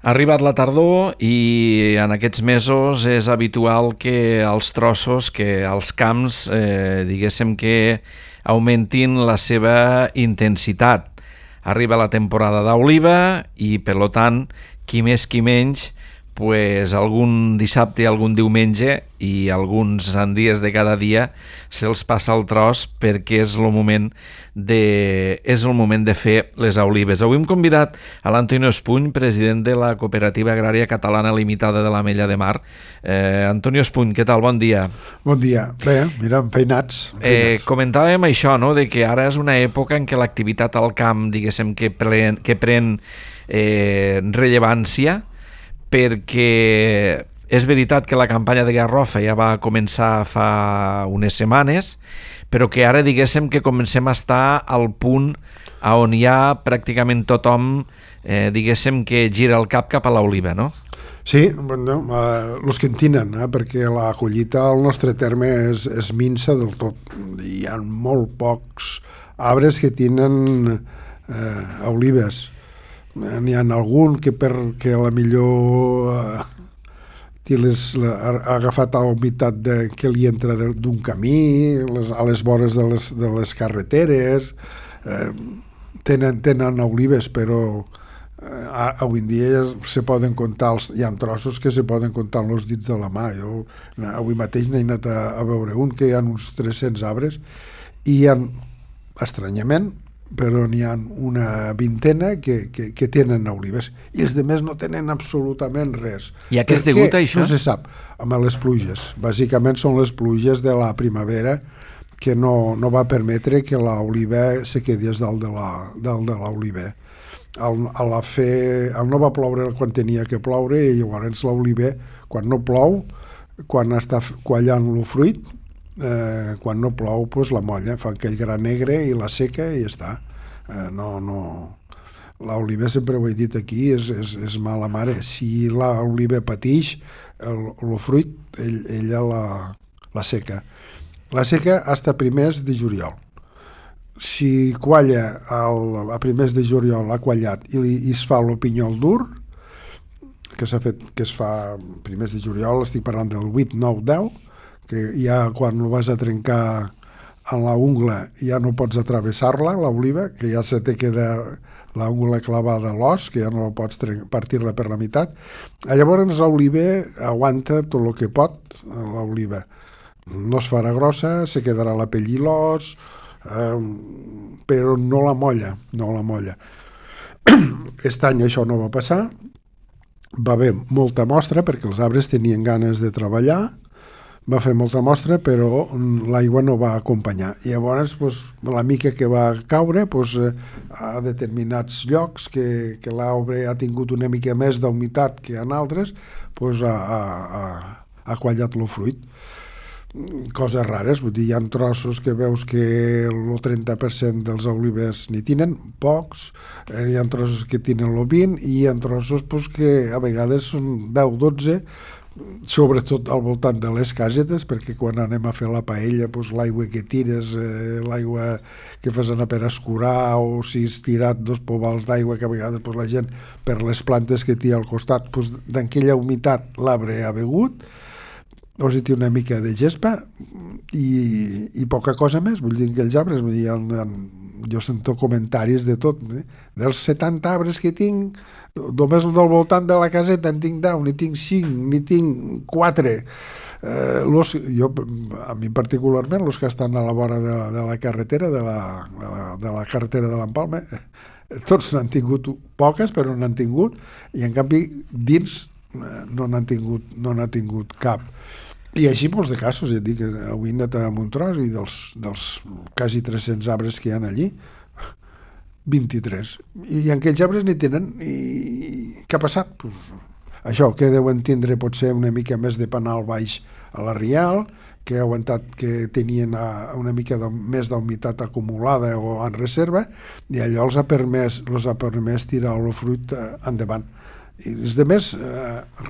Ha arribat la tardor i en aquests mesos és habitual que els trossos, que els camps, diguéssim que augmentin la seva intensitat. Arriba la temporada d'oliva i, per tant, qui més qui menys, pues algun dissabte, algun diumenge i alguns en dies de cada dia se'ls passa el tros perquè és el moment de fer les olives. Avui hem convidat a l'Antonio Espuny, president de la Cooperativa Agrària Catalana Limitada de l'Ametlla de Mar. Antonio Espuny, què tal? Bon dia. Bon dia. Bé, mira, feinats. Comentàvem això, no?, de que ara és una època en què l'activitat al camp, diguéssim, que pren rellevància, perquè és veritat que la campanya de Garrofa ja va començar fa unes setmanes, però que ara diguéssim que comencem a estar al punt on ja pràcticament tothom diguéssim que gira el cap a l'oliva, no? Sí, bueno, els que en tenen, perquè la collita al nostre terme és minsa del tot. Hi ha molt pocs arbres que tenen olives. N'hi ha algun que perquè a la millor ha agafat la humitat que li entra d'un camí, a les vores de les carreteres, tenen olives, però avui en dia se poden comptar, hi ha trossos que se poden comptar amb els dits de la mà. Jo avui mateix n'he anat a veure un que hi ha uns 300 arbres i hi ha, estranyament, però n'hi ha una vintena que tenen olives i els altres no tenen absolutament res. I a què és degut això? No se sap, amb les pluges. Bàsicament són les pluges de la primavera que no va permetre que l'oliva se quedés dalt de l'oliver. No va ploure quan tenia que ploure i llavors l'oliver, quan no plou, quan està quallant el fruit, quan no plou, doncs la molla, fa aquell gra negre i la seca i ja està. L'oliva, sempre ho he dit aquí, és mala mare. Si l'oliva patix, el fruit, ella la seca. La seca hasta primers de juliol. Si qualla a primers de juliol, ha quallat i es fa el pinyol dur, que es fa primers de juliol, estic parlant del 8, 9, 10, que ja quan ho vas a trencar en la ungla ja no pots atravessar-la, l'oliva, que ja se te queda la ungla clavada a l'os, que ja no pots partir-la per la meitat. Llavors l'oliva aguanta tot el que pot, l'oliva. No es farà grossa, se quedarà la pell i l'os, però no la molla. Aquest any això no va passar, va haver molta mostra perquè els arbres tenien ganes de treballar, va fer molta mostra, però l'aigua no va acompanyar. I llavors, la mica que va caure, a determinats llocs que l'arbre ha tingut una mica més d'humitat que en altres, ha quallat el fruit. Coses rares, vull dir, hi ha trossos que veus que el 30% dels olives n'hi tenen, pocs, hi ha trossos que tenen el 20% i hi ha trossos que a vegades són 10-12, sobretot al voltant de les casetes, perquè quan anem a fer la paella, l'aigua que tires, l'aigua que fas anar per escurar, o si has tirat 2 pobals d'aigua, que a vegades la gent, per les plantes que té al costat, d'aquella humitat l'arbre ha begut, llavors hi té una mica de gespa i poca cosa més. Vull dir que els arbres, jo sento comentaris de tot, dels 70 arbres que tinc, només del voltant de la caseta en tinc 10, ni tinc 5, ni tinc 4. A mi particularment, els que estan a la vora de la carretera, de la carretera de l'Empalme, tots n'han tingut poques, però n'han tingut, i en canvi dins no n'han tingut cap. I així molts de casos, ja et dic, avui he anat a Montrós i dels quasi 300 arbres que hi ha allí, 23. I en aquells arbres n'hi tenen. I què ha passat? Això, que deuen tindre potser una mica més de penal baix a la rial, que ha aguantat que tenien una mica més d'humitat acumulada o en reserva, i allò els ha permès tirar el fruit endavant. I els altres,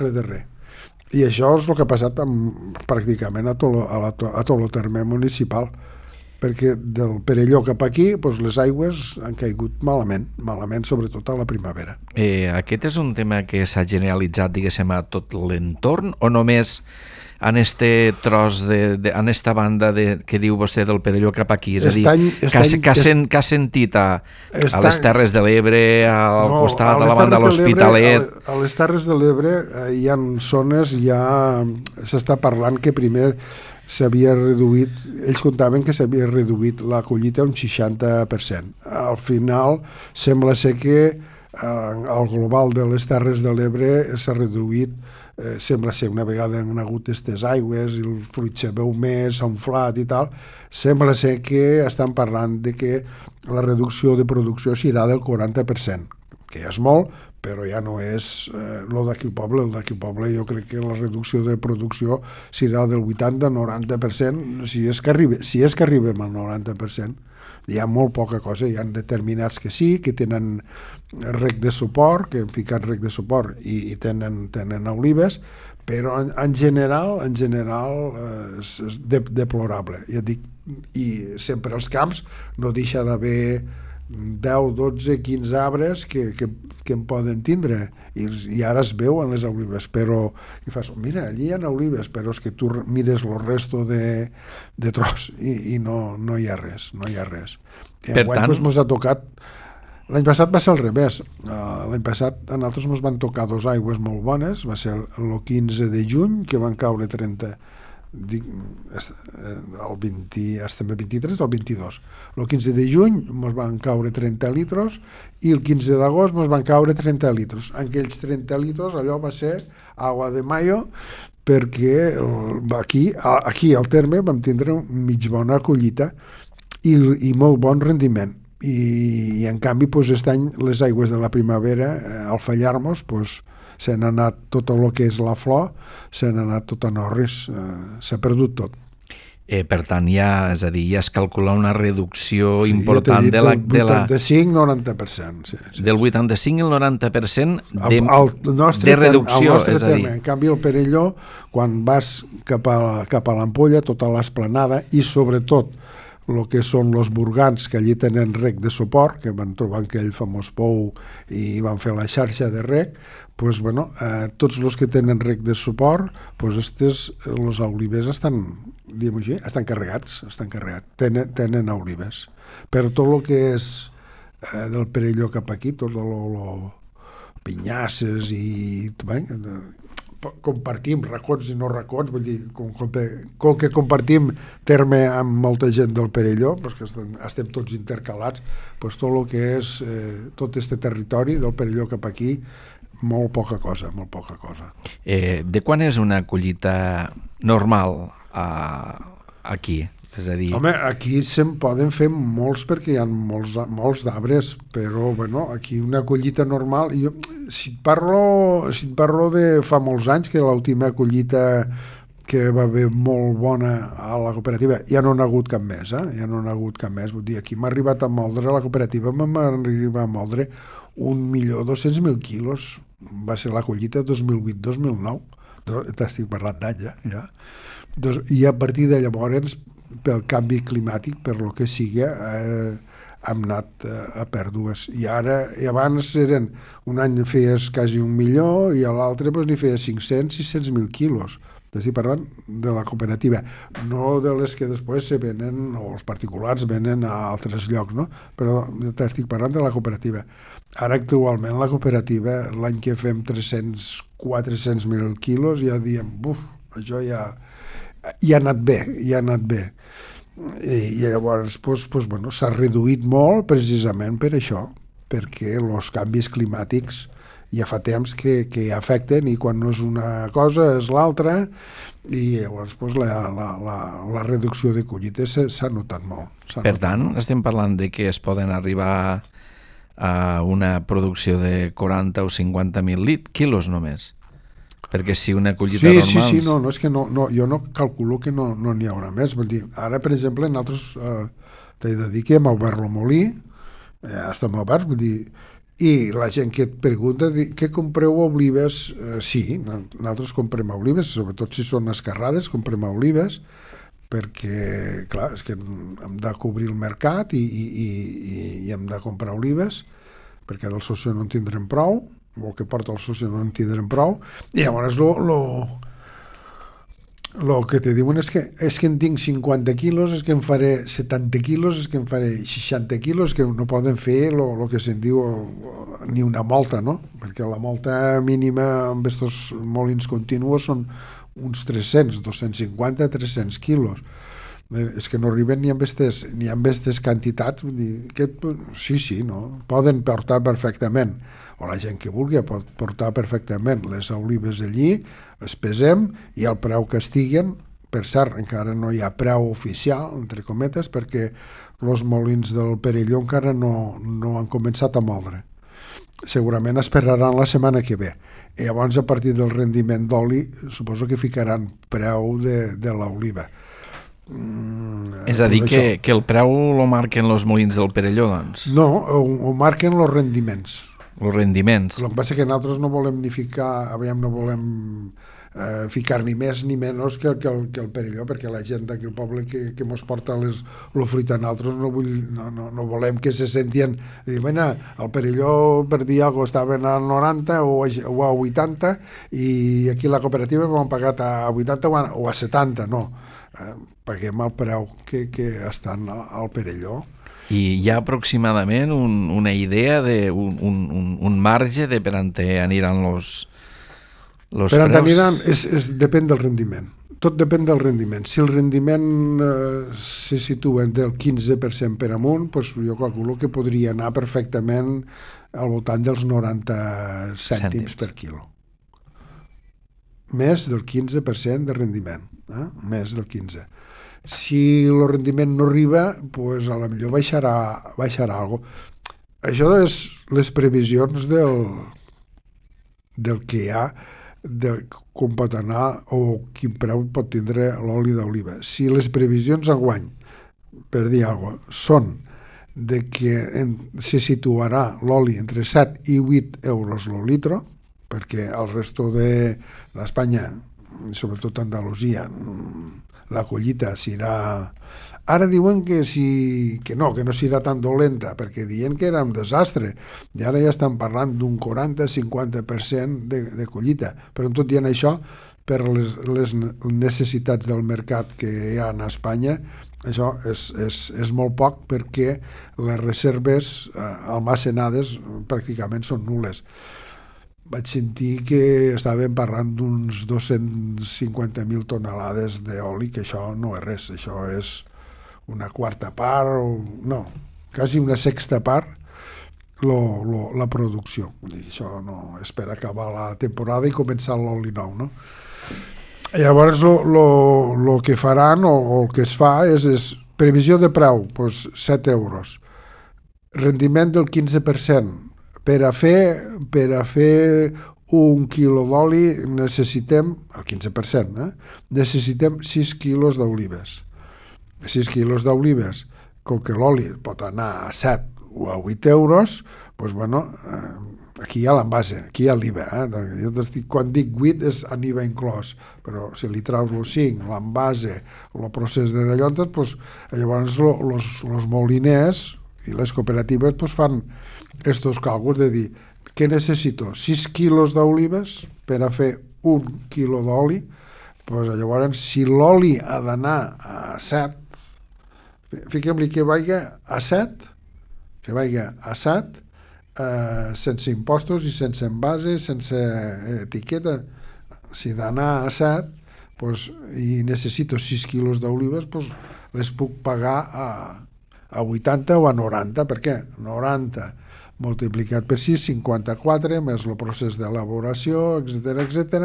res de res. I això és el que ha passat pràcticament a tot el terme municipal. perquè del Perelló cap aquí les aigües han caigut malament, sobretot a la primavera. Aquest és un tema que s'ha generalitzat, diguéssim, a tot l'entorn, o només en este tros, en esta banda que diu vostè del Perelló cap aquí? És a dir, que ha sentit a les Terres de l'Ebre, al costat, a la banda de l'Hospitalet... A les Terres de l'Ebre hi ha zones, s'està parlant que primer s'havia reduït, ells contaven que s'havia reduït la collita un 60%. Al final sembla ser que el global de les Terres de l'Ebre s'ha reduït, sembla ser una vegada han hagut aquestes aigües i el fruit se veu més, s'ha inflat i tal, sembla ser que estan parlant de que la reducció de producció serà del 40%, que ja és molt, però ja no és el d'aquí poble. El d'aquí poble jo crec que la reducció de producció serà del 80-90%, si és que arribem al 90%. Hi ha molt poca cosa, hi ha determinats que sí, que tenen rec de suport, que han ficat rec de suport i tenen olives, però en general és deplorable. Ja dic, i sempre als camps no deixa d'haver 10, 12, 15 arbres que en poden tindre i ara es veuen les olives, però i fas, mira, allí hi ha olives, però és que tu mires el resto de tros i no hi ha res, I enguany ens ha tocat. L'any passat va ser al revés. L'any passat a nosaltres ens van tocar dos aigües molt bones, va ser el 15 de juny, que van caure 30, el 20, estem a 23, el 22. El 15 de juny ens van caure 30 litros i el 15 d'agost ens van caure 30 litros. En aquells 30 litros allò va ser agua de mayo, perquè aquí al terme vam tindre mig bona collita i molt bon rendiment. I en canvi aquest any les aigües de la primavera al fallar-nos se n'ha anat tot el que és la flor, se n'ha anat tot a Norris, s'ha perdut tot. Per tant, és a dir, ja es calcula una reducció important del 85-90%. Del 85 al 90% de reducció. Al nostre terme. En canvi, el Perelló, quan vas cap a l'Ampolla, tota l'esplanada, i sobretot el que són els burgans, que allí tenen rec de suport, que van trobar aquell famós pou i van fer la xarxa de rec, tots els que tenen rec de suport, els olivers estan carregats, tenen olives. Però tot el que és del Perelló cap aquí, tot el pinyasses i compartim racons i no racons, vull dir, com que compartim terme amb molta gent del Perelló, que estem tots intercalats, tot el que és tot este territori del Perelló cap aquí, molt poca cosa. De quan és una collita normal aquí? És a dir... Home, aquí se'n poden fer molts perquè hi ha molts d'arbres, però aquí una collita normal... Si et parlo de fa molts anys, que l'última collita que va haver molt bona a la cooperativa, ja no n'ha hagut cap més, vull dir, aquí m'ha arribat a moldre, la cooperativa m'ha arribat a moldre 1.200.000 quilos, va ser la collita 2008-2009, t'estic parlant d'any, ja. I a partir de llavors, pel canvi climàtic, per lo que sigui, hem anat a pèrdues. I abans un any feies quasi 1 milió i a l'altre n'hi feies 500-600.000 quilos. T'estic parlant de la cooperativa, no de les que després se venen, o els particulars venen a altres llocs, no? Però t'estic parlant de la cooperativa. Ara actualment la cooperativa, l'any que fem 300-400.000 quilos, ja diem, això ja ha anat bé. I llavors s'ha reduït molt precisament per això, perquè els canvis climàtics ja fa temps que afecten, i quan no és una cosa és l'altra, i llavors la reducció de collites s'ha notat molt. Per tant, estem parlant de que es poden arribar a una producció de 40 o 50.000 quilos només. Perquè si una collita normal... Sí, és que jo no calculo que no n'hi haurà més. Vull dir, ara, per exemple, nosaltres t'he de dir que hem obert el molí, estem oberts, vull dir, i la gent que et pregunta què compreu olives, sí, nosaltres comprem olives, sobretot si són escarrades, comprem olives, perquè, clar, és que hem de cobrir el mercat i hem de comprar olives, perquè del soci no en tindrem prou, o el que porta el soci no en tindrem prou, i llavors el que te diuen és que en tinc 50 quilos, és que em faré 70 quilos, és que em faré 60 quilos, que no poden fer el que se'n diu ni una molta, no? Perquè la molta mínima amb aquests molins continuos són uns 300, 250, 300 quilos. És que no arriben ni amb aquestes quantitats. Vull dir, sí, no? Poden portar perfectament, o la gent que vulgui pot portar perfectament les olives allí, les pesem i el preu que estiguen, per cert, encara no hi ha preu oficial, entre cometes, perquè els molins del Perelló encara no han començat a moldre. Segurament esperaran la setmana que ve. I llavors, a partir del rendiment d'oli, suposo que ficaran preu de l'oliva. És a dir, que el preu lo marquen els molins del Perelló, doncs? No, ho marquen els rendiments. Els rendiments. El que passa que nosaltres no volem ni ficar, no volem ficar ni més ni menys que el Perelló, perquè la gent d'aquí al poble que mos porta el fruit a nosaltres no volem que se sentien dir, bueno, el Perelló per dir alguna cosa estaven a 90 o a 80 i aquí la cooperativa m'han pagat a 80 o a 70, no, paguem el preu que estan al Perelló. I hi ha aproximadament una idea un marge de per on aniran els preus? Per on aniran depèn del rendiment. Tot depèn del rendiment. Si el rendiment se situa del 15% per amunt, doncs jo calculo que podria anar perfectament al voltant dels 90 cèntims per quilo. Més del 15% de rendiment. Més del 15%. Si el rendiment no arriba, doncs a la millor baixarà alguna cosa. Això és les previsions del que hi ha, de com pot anar o quin preu pot tindre l'oli d'oliva. Si les previsions enguany, per dir alguna cosa, són de que se situarà l'oli entre 7 i 8 euros el litre, perquè el resto d'Espanya, sobretot Andalusia, la collita serà... Ara diuen que no serà tan dolenta, perquè diuen que era un desastre, i ara ja estan parlant d'un 40-50% de collita, però tot dient això, per les necessitats del mercat que hi ha a Espanya, això és molt poc, perquè les reserves almacenades pràcticament són nul·les. Vaig sentir que estàvem parlant d'uns 250.000 tonelades d'oli, que això no és res, això és una quarta part, no, quasi una sexta part la producció. Vull dir, això no és per acabar la temporada i començar l'oli nou, no? Llavors, el que faran o el que es fa és previsió de preu, doncs 7 euros, rendiment del 15%. Per a fer un quilo d'oli necessitem, el 15%, necessitem 6 quilos d'olives. 6 quilos d'olives, com que l'oli pot anar a 7 o a 8 euros, doncs, bueno, aquí hi ha l'envase, aquí hi ha l'IVA. Quan dic 8 és en IVA inclòs, però si li traus el 5, l'envase, el procés de dallontes, doncs, llavors els moliners i les cooperatives doncs, fan aquests càlculs de dir què necessito? 6 quilos d'olives per a fer 1 quilo d'oli, doncs llavors si l'oli ha d'anar a 7, fiquem-li que vagi a 7, sense impostos i sense envase, sense etiqueta, si d'anar a 7 doncs, i necessito 6 quilos d'olives, doncs les puc pagar a 80 o a 90, per què? 90 multiplicat per 6, 54, més el procés d'elaboració, etc.,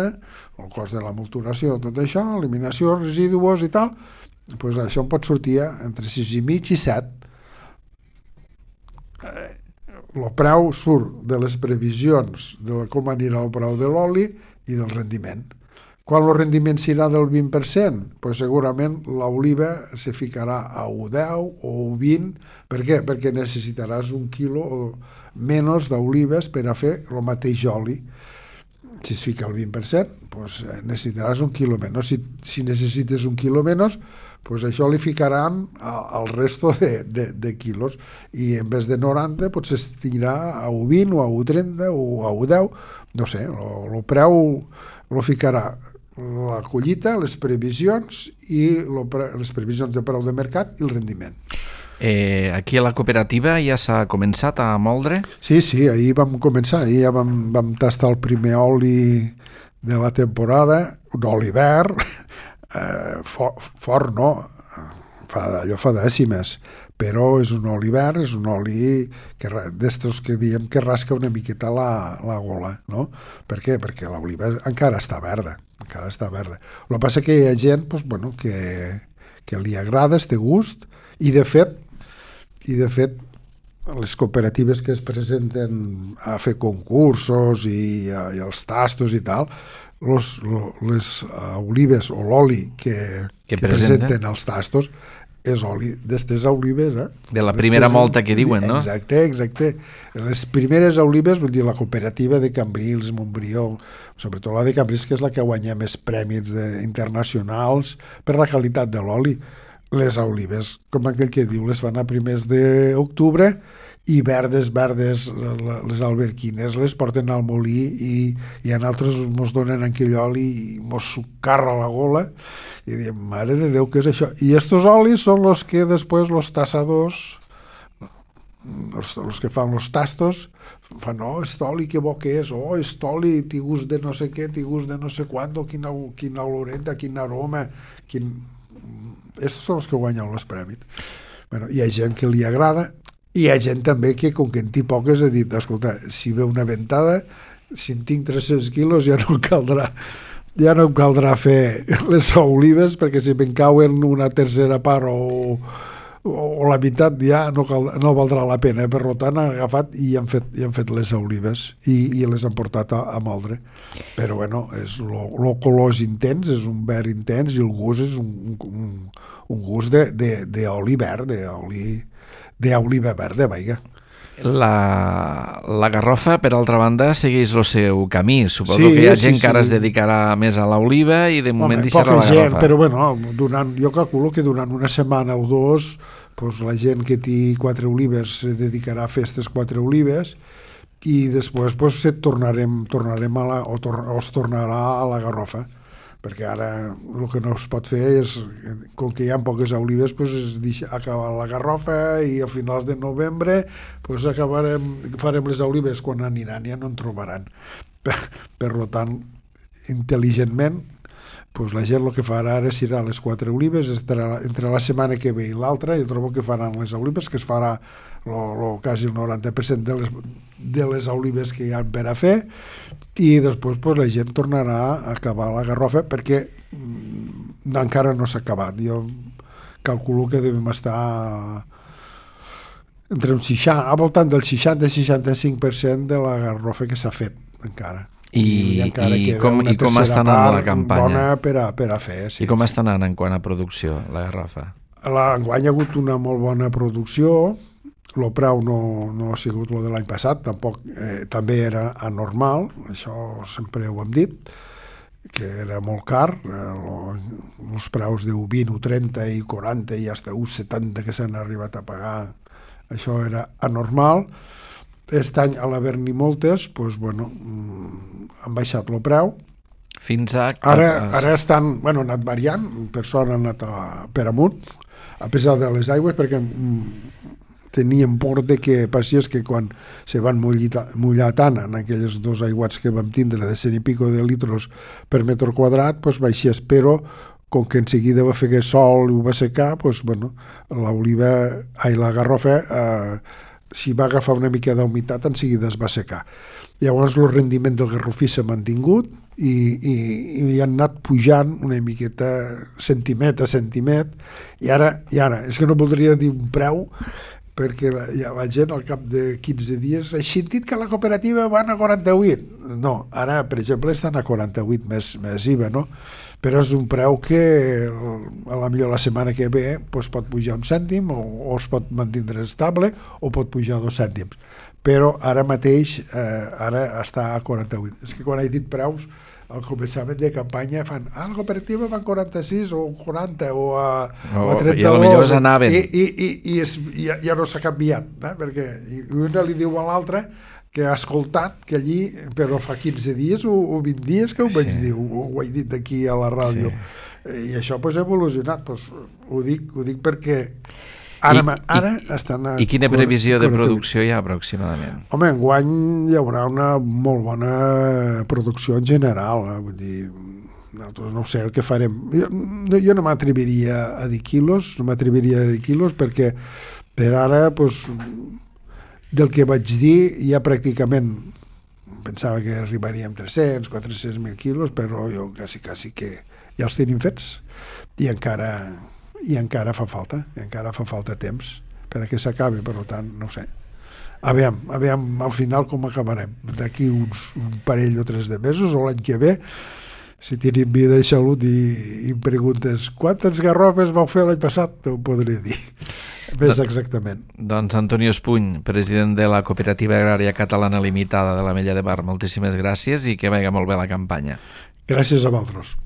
el cost de la multuració, tot això, eliminació, residus i tal, doncs això em pot sortir entre 6,5 i 7. El preu surt de les previsions de com anirà el preu de l'oli i del rendiment. Quan el rendiment serà del 20%, doncs segurament l'oliva se ficarà a 1,10 o 1,20. Per què? Perquè necessitaràs 1 quilo o menys d'olives per a fer el mateix oli. Si es fica al 20%, doncs necessitaràs 1 quilo menys. Si necessites 1 quilo menys, pues això li ficaran al resto de quilos i en vez de 90 potser estirà a 1,20 o a 1,30 o a 1,10, no sé, el preu lo ficarà la collita, les previsions i les previsions de preu de mercat i el rendiment. Aquí a la cooperativa ja s'ha començat a moldre? Sí, ahir vam començar, ahir ja vam tastar el primer oli de la temporada, un oli verd, fort no, allò fa dècimes, però és un oli verd, és un oli d'estos que diem que rasca una miqueta la gola, no? Per què? Perquè l'oliva encara està verda. El que passa que hi ha gent que li agrada este gust i de fet les cooperatives que es presenten a fer concursos i els tastos i tal, les olives o l'oli que presenten els tastos és oli d'estes olives, de la primera molta que diuen, no? Exacte. Les primeres olives, vull dir, la cooperativa de Cambrils, Montbrió, sobretot la de Cambrils, que és la que guanya més premis internacionals per la qualitat de l'oli. Les olives, com aquell que diu, les fan a primers d'octubre i verdes, les alberquines, les porten al molí i a nosaltres mos donen aquell oli i mos sucarra la gola i diem, mare de Déu, què és això? I estos olis són los que després los tassadors, els que fan los tastos, fan, est oli que bo que és, est oli, té gust de no sé què, té gust de no sé quant, quina oloreta, quin aroma, estos són els que guanyen els premis. Bueno, hi ha gent que li agrada, i hi ha gent també que, com que en té poques, ha dit, escolta, si ve una ventada, si en tinc 300 quilos ja no em caldrà fer les olives, perquè si me'n cauen una tercera part o la meitat ja no valdrà la pena. Per tant, han agafat i han fet les olives i les han portat a moldre. Però bueno, el color és intens, és un verd intens i el gust és un gust d'oli verd, d'oliva verda, vaja. La garrofa, per altra banda, segueix el seu camí. Suposo que hi ha gent que ara es dedicarà més a l'oliva i de moment deixarà la garrofa. Però bueno, jo calculo que durant una setmana o dos la gent que té 4 olives se dedicarà a fer aquestes 4 olives i després tornarem es tornarà a la garrofa, perquè ara el que no es pot fer és, com que hi ha poques olives, és acabar la garrofa i a finals de novembre farem les olives quan aniran, ja no en trobaran. Per tant, intel·ligentment, la gent el que farà ara serà les 4 olives, entre la setmana que ve i l'altra, jo trobo que faran les olives, que es farà quasi el 90% de les olives que hi ha per a fer, i després la gent tornarà a acabar la garrofa, perquè encara no s'ha acabat. Jo calculo que devem estar entre al voltant del 60-65% de la garrofa que s'ha fet encara. I com està anant la campanya? Bona per a fer. I com està anant en quant a producció, la garrofa? Enguany hi ha hagut una molt bona producció. El preu no ha sigut el de l'any passat, tampoc també era anormal, això sempre ho hem dit, que era molt car, els preus de 20, 30 i 40 i fins a 70 que s'han arribat a pagar, això era anormal. Aquest any, a l'haver-n'hi moltes, han baixat el preu. Fins a... Ara estan, han anat variant, per sort han anat per amunt, a pesar de les aigües, perquè teníem por de que passés que quan se van mullar tant en aquells 2 aiguats que vam tindre de 100 i pico de litros per metre quadrat, baixés, però com que en seguida va fer sol i ho va secar, la garrofa, si va agafar una mica d'humitat, en seguida es va secar. Llavors el rendiment del garrofí s'ha mantingut i han anat pujant una miqueta centimet a centimet, i ara és que no voldria dir un preu, perquè la gent al cap de 15 dies ha sentit que la cooperativa van a 48. No, ara, per exemple, estan a 48 més IVA, no? Però és un preu que a la millor la setmana que ve pot pujar un cèntim o es pot mantindre estable o pot pujar 2 cèntims. Però ara mateix ara està a 48. És que quan he dit preus al començament de campanya fan la cooperativa va a 46 o 40 o a 32 i potser s'anaven i ja no s'ha canviat, perquè una li diu a l'altra que ha escoltat que allí, però fa 15 dies o 20 dies que ho vaig dir, ho he dit aquí a la ràdio, i això ha evolucionat, ho dic perquè ara estan... I quina previsió de producció hi ha aproximadament? Home, enguany hi haurà una molt bona producció en general, vull dir, nosaltres no sé el que farem. Jo no m'atreviria a dir quilos, perquè per ara, doncs, del que vaig dir, ja pràcticament pensava que arribaríem 300, 400.000 quilos, però jo quasi que ja els tenim fets i encara fa falta temps perquè s'acabi, per tant, no ho sé. Aviam al final com acabarem. D'aquí un parell o 3 de mesos o l'any que ve, si tenim vida i salut i em preguntes quantes garrofes vau fer l'any passat, t'ho podré dir. Ves exactament. Doncs Antonio Espuny, president de la Cooperativa Agrària Catalana Limitada de l'Ametlla de Mar, moltíssimes gràcies i que vagi molt bé la campanya. Gràcies a vosaltres.